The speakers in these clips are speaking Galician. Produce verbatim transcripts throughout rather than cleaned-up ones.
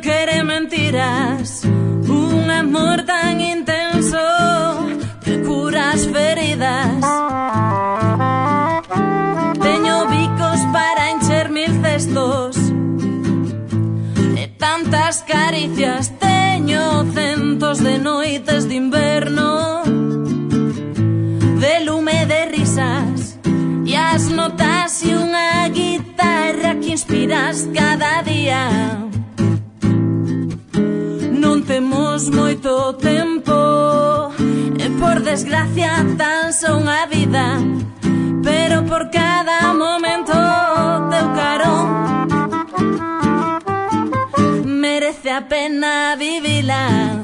quere mentiras, un amor tan intenso que cura as feridas. Teño bicos para encher mil cestos e tantas caricias. Teño centos de noites de inverno, de lume de risas e as notas e unha guitarra que inspiras cada día. Non temos moito tempo e por desgracia tan só unha vida, pero por cada momento teu carón merece a pena vivila.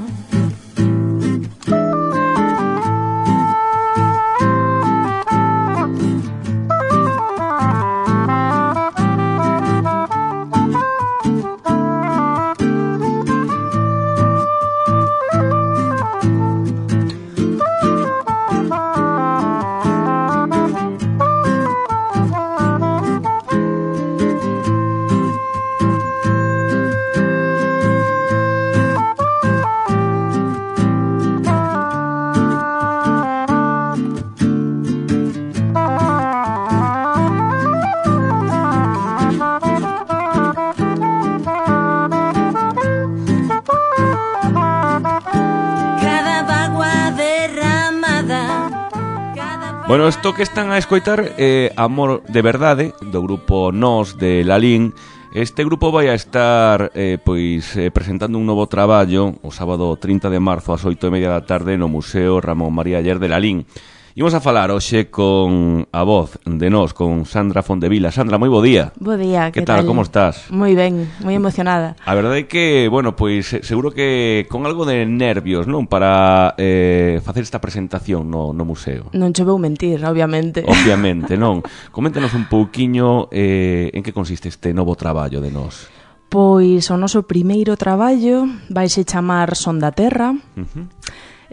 Bueno, isto que están a escoitar é eh, Amor de Verdade, do grupo Nós de Lalín. Este grupo vai a estar eh, pois eh, presentando un novo traballo o sábado trinta de marzo ás oito e media da tarde no Museo Ramón María Aller de Lalín. Imos a falar hoxe con a voz de Nós, con Sandra Fondevila. Sandra, moi bo día. Bo día, que tal? tal? Como estás? Moi ben, moi emocionada. A verdade é que, bueno, pois seguro que con algo de nervios, non? Para eh, facer esta presentación no, no museo. Non che vou mentir, obviamente. Obviamente, non. Coméntanos un pouquiño eh, en que consiste este novo traballo de Nós. Pois o noso primeiro traballo vaise chamar Son da Terra. Uh-huh.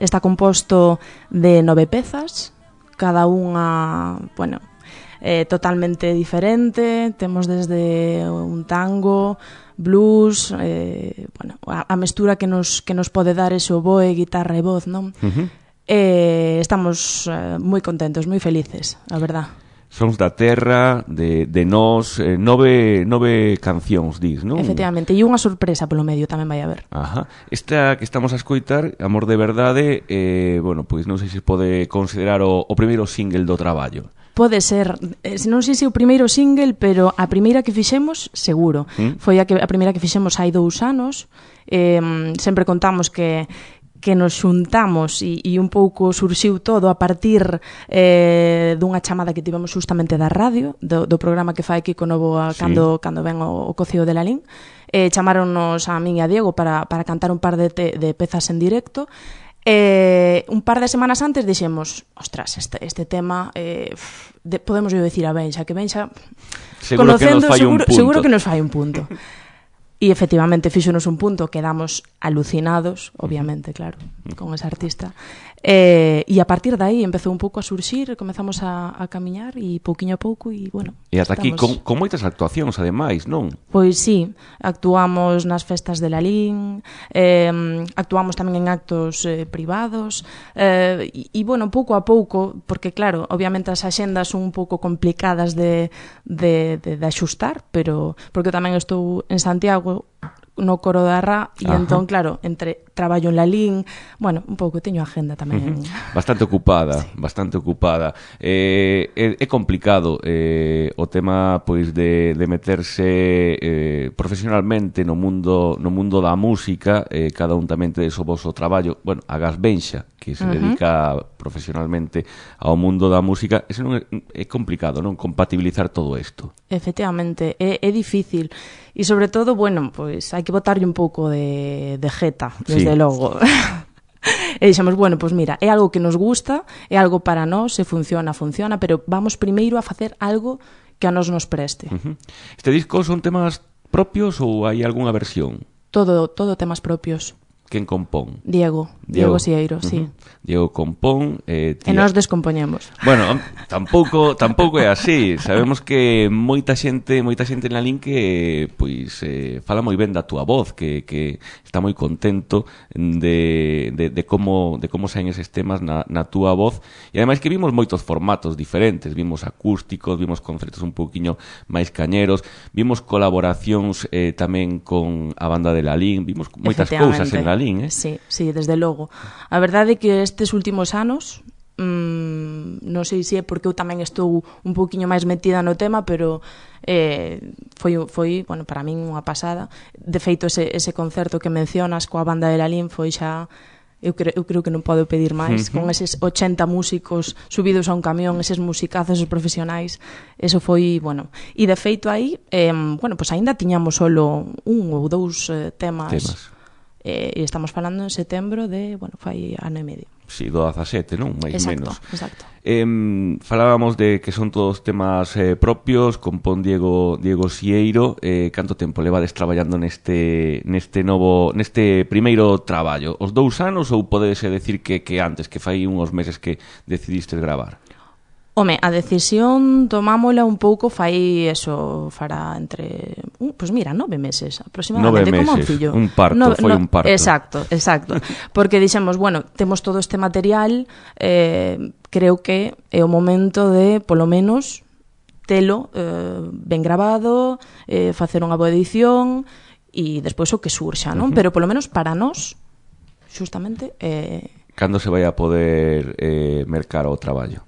Está composto de nove pezas, cada unha, bueno, eh, totalmente diferente. Temos desde un tango, blues, eh, bueno, a, a mestura que nos, que nos pode dar ese oboe, guitarra e voz, non? Uh-huh. Eh, estamos eh, moi contentos, moi felices, a verdad. Sons da Terra, de, de Nós, eh, nove, nove cancións, dis, non? Efectivamente, e unha sorpresa polo medio tamén vai haber. Ajá. Esta que estamos a escoitar, Amor de Verdade, eh, bueno, pois non sei se pode considerar o, o primeiro single do traballo. Pode ser, non sei se o primeiro single, pero a primeira que fixemos, seguro. ¿Mm? Foi a, que, a primeira que fixemos hai dous anos. Eh, sempre contamos que que nos xuntamos e, e un pouco surxiu todo a partir eh, dunha chamada que tivemos justamente da radio, do, do programa que fai Kiko Novo a, sí. cando, cando ven o, o Cocío de Lalín. Eh, chamaronnos a min e a Diego para, para cantar un par de, te, de pezas en directo. Eh, un par de semanas antes dixemos, ostras, este, este tema eh, de, podemos yo decir a Benxa, que Benxa seguro conocendo, que nos fai seguro, un punto. seguro que nos fai un punto. E efectivamente fíxonos un punto, quedamos alucinados, obviamente, claro, con esa artista. Eh, e a partir de aí empezou un pouco a surxir, comezamos a, a camiñar e pouquiño a pouco e, bueno... E ata aquí con, con moitas actuacións, ademais, non? Pois sí, actuamos nas festas de Lalín, eh, actuamos tamén en actos eh, privados, eh, e, e, bueno, pouco a pouco, porque, claro, obviamente as axendas son un pouco complicadas de, de, de, de axustar, pero porque tamén estou en Santiago, no coro da Ra, e Ajá. entón, claro, entre traballo en Lalín, bueno, un pouco, teño agenda tamén. Uh-huh. Bastante ocupada, sí. bastante ocupada. Eh, é, é complicado eh, o tema, pois, de, de meterse eh, profesionalmente no mundo no mundo da música, eh, cada un tamén ten o voso traballo. Bueno, a Gas Benxa, que se uh-huh. dedica profesionalmente ao mundo da música, ese non é, é complicado, non? Compatibilizar todo isto. Efectivamente, é, é difícil. E sobre todo, bueno, pois hai que botarlle un pouco de, de jeta, desde sí. logo. E dixemos, bueno, pois mira, é algo que nos gusta, é algo para nós, se funciona, funciona, pero vamos primeiro a facer algo que a nós nos preste. Uh-huh. Este disco son temas propios ou hai algunha versión? Todo, todo temas propios. quen compón? Diego, Diego, Diego Sieiro, uh-huh. sí. Diego compón, eh, tía... e nós descompoñemos. Bueno, tampouco tampouco é así. Sabemos que moita xente, moita xente na lin que pois eh, fala moi ben da túa voz, que, que está moi contento de, de, de como de como saen eses temas na, na túa voz, e ademais que vimos moitos formatos diferentes, vimos acústicos, vimos concertos un pouquiño máis cañeros, vimos colaboracións eh, tamén con a banda de Lalín, vimos moitas cousas en Lalín, eh? Sí, sí, desde logo. A verdade é que estes últimos anos, mmm, non sei se é porque eu tamén estou un pouquiño máis metida no tema, pero eh, foi, foi, bueno, para min unha pasada. De feito, ese, ese concerto que mencionas coa banda de Lalín foi xa... Eu creo, eu creo que non podo pedir máis. Uh-huh. Con eses ochenta músicos subidos a un camión, eses musicazos, esos profesionais, eso foi, bueno. E de feito aí, eh, bueno, pues aínda tiñamos solo un ou dous eh, temas... temas. Eh, e estamos falando en setembro de, bueno, fai ano e medio. Si, do dezasete, non? Mais exacto, menos. Exacto, eh, falábamos de que son todos temas eh, propios, compón Diego Diego Sieiro. Eh, canto tempo levades traballando neste neste novo neste primeiro traballo? Os dous anos ou podese decir que, que antes, que fai uns meses que decidistes gravar? Home, a decisión tomámola un pouco fai eso, fará entre, uh, pues mira, nove meses aproximadamente, nove meses, como un fillo. Un parto, no, foi no, un parto. Exacto, exacto. Porque dixemos, bueno, temos todo este material, eh, creo que é o momento de, polo menos, telo eh, ben grabado, eh, facer unha boa edición e despois o que surxa, non? Uh-huh. Pero polo menos para nós, justamente... Eh, cando se vai a poder eh, mercar o traballo?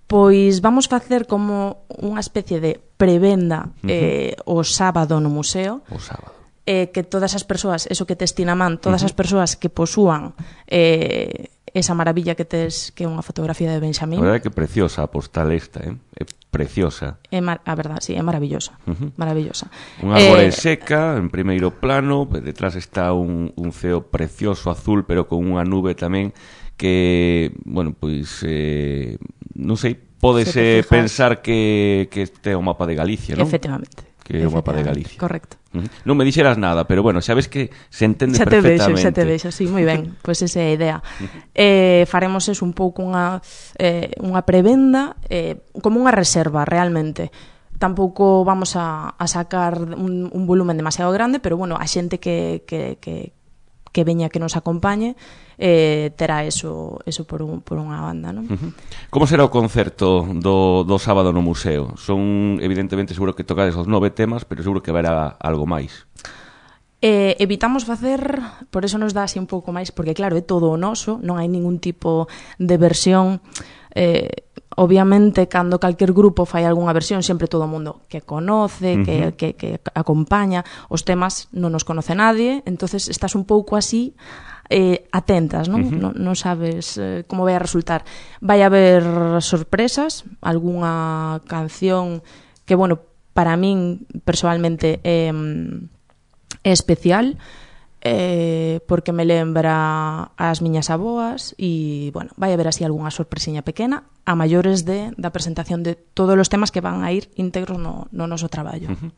Pois vamos facer como unha especie de prevenda uh-huh. eh, o sábado no museo. O sábado. Eh, que todas as persoas, eso que tes ti na man, todas uh-huh. as persoas que posúan eh, esa maravilla que tes, que é unha fotografía de Benxamín. A verdade é que preciosa a postal esta, eh? É preciosa. É mar- a verdade, sí, é maravillosa. Uh-huh. Maravillosa. Unha árbore eh... seca, en primeiro plano, detrás está un, un ceo precioso azul, pero con unha nube tamén que, bueno, pois... Eh, non sei, pódese pensar que, que este é o mapa de Galicia, non? Efectivamente. Que é o mapa de Galicia. Correcto. Uh-huh. Non me dixeras nada, pero bueno, sabes que se entende xa te perfectamente. Xa te vexo, xa te vexo, sí, moi ben. Pois pues esa é a idea. Uh-huh. Eh, faremos eso un pouco unha, eh, unha prevenda, eh, como unha reserva, realmente. Tampouco vamos a, a sacar un, un volumen demasiado grande, pero bueno, a xente que... que, que que veña que nos acompañe eh, terá eso, eso por, un, por unha banda, non? Uh-huh. Como será o concerto do, do sábado no museo? Son, evidentemente, seguro que tocades os nove temas, pero seguro que haberá algo máis. Eh, evitamos facer, por eso nos dá así un pouco máis, porque claro, é todo o noso, non hai ningún tipo de versión. Eh, obviamente, cando calquer grupo fai algunha versión, sempre todo o mundo que conoce, uh-huh. que, que, que acompaña os temas, non nos conoce nadie, entonces estás un pouco así eh, atentas, non? Uh-huh. Non, non sabes eh, como vai a resultar. Vai haber sorpresas, algunha canción que, bueno, para min personalmente é, é especial, eh, porque me lembra as miñas aboas e, bueno, vai haber así algunha sorpresiña pequena a maiores de, da presentación de todos os temas que van a ir íntegros no, no noso traballo. Uh-huh.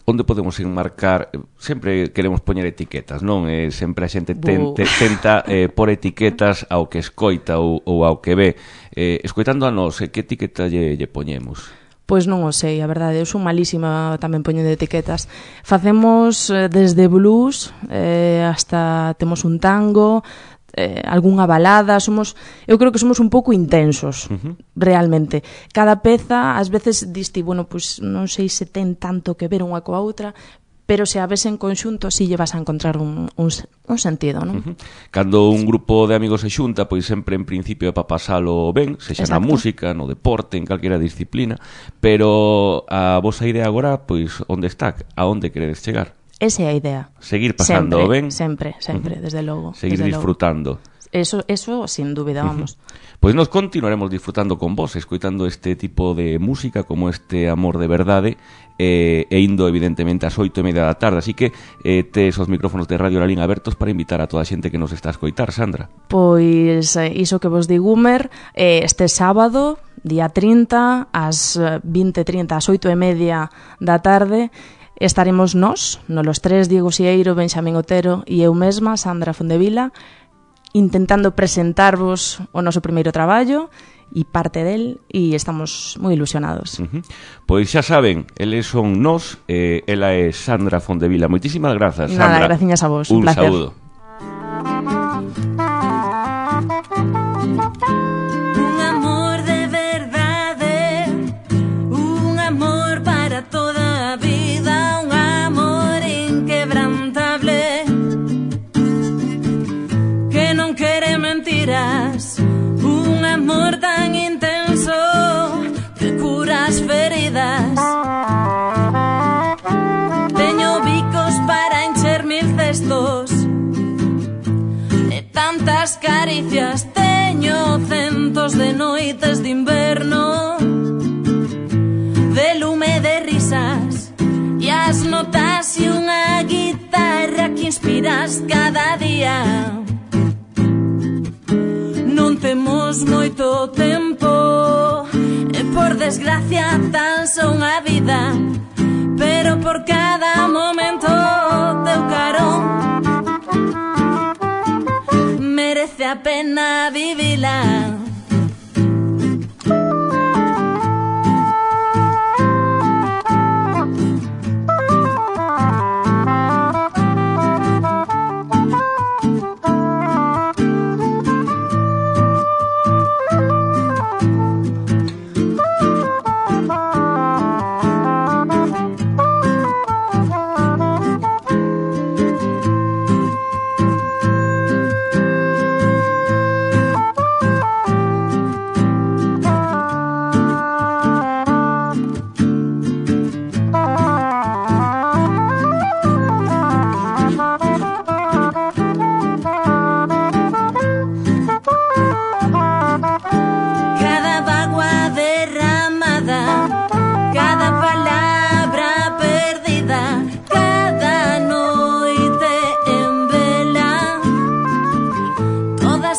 Onde podemos enmarcar? Sempre queremos poñer etiquetas, non? Eh, sempre a xente ten, te, tenta eh, por etiquetas ao que escoita ou, ou ao que ve. Eh, escoitando a nós, eh, que etiqueta lle, lle poñemos? Pois non o sei, a verdade, eu son malísima tamén poñendo etiquetas. Facemos eh, desde blues eh, hasta temos un tango, eh, algunha balada, somos, eu creo que somos un pouco intensos, uh-huh. realmente. Cada peza, ás veces diste, bueno, pois non sei se ten tanto que ver unha coa outra, pero se a ves en conxunto si lle vas a encontrar un, un, un sentido, non? Uh-huh. Cando un grupo de amigos se xunta, pois sempre en principio é para pasalo ben, sexa na música, no deporte, en calquera disciplina, pero a vosa idea agora, pois, onde está? A onde queredes chegar? Esa é a idea. Seguir pasando ben? Sempre, sempre, uh-huh. desde logo. Seguir desde disfrutando. Logo. Eso, eso sin dúbida, vamos. Uh-huh. Pois nos continuaremos disfrutando con vos, escoitando este tipo de música como este Amor de Verdade, eh, e indo evidentemente ás oito e media da tarde, así que eh, tes os micrófonos de Radio Lalín abertos para invitar a toda a xente que nos está a escoitar, Sandra. Pois eh, iso que vos digo, Humer, eh, este sábado, día trinta, ás vinte e trinta, ás oito e media da tarde, estaremos nós, no los tres, Diego Sieiro, Benxamín Otero e eu mesma, Sandra Fondevila, intentando presentarvos o noso primeiro traballo e parte del, e estamos moi ilusionados. Uh-huh. Pois xa saben, eles son nós, eh, ela é Sandra Fondevila. Moitísimas grazas, Sandra. Nada, graciñas a vos, un, un placer. saúdo. Un amor de verdade, un amor para toda a vida, un amor inquebrantable que non quere mentiras, un amor tan intenso que cura as feridas. Teño bicos para encher mil cestos e tantas caricias, teño centos de noites de inverno, de lume de risas e as notas e unha guitarra que inspiras cada día. Non temos moito tempo e por desgracia tan só unha vida, pero por cada momento teu carón merece a pena vivila.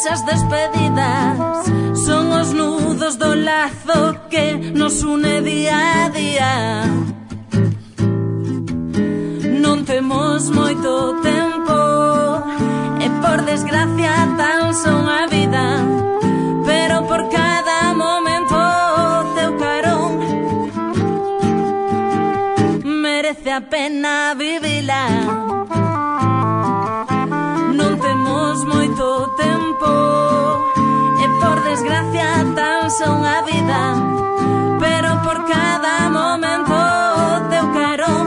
As despedidas son os nudos do lazo que nos une día a día. Non temos moito tempo e por desgracia tan só unha vida, pero por cada momento teu carón merece a pena vivila. Non temos moito tempo e por desgracia tan só unha vida, pero por cada momento teu carón,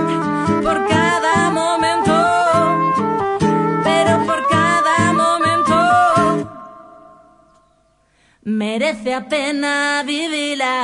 por cada momento, pero por cada momento merece a pena vivila.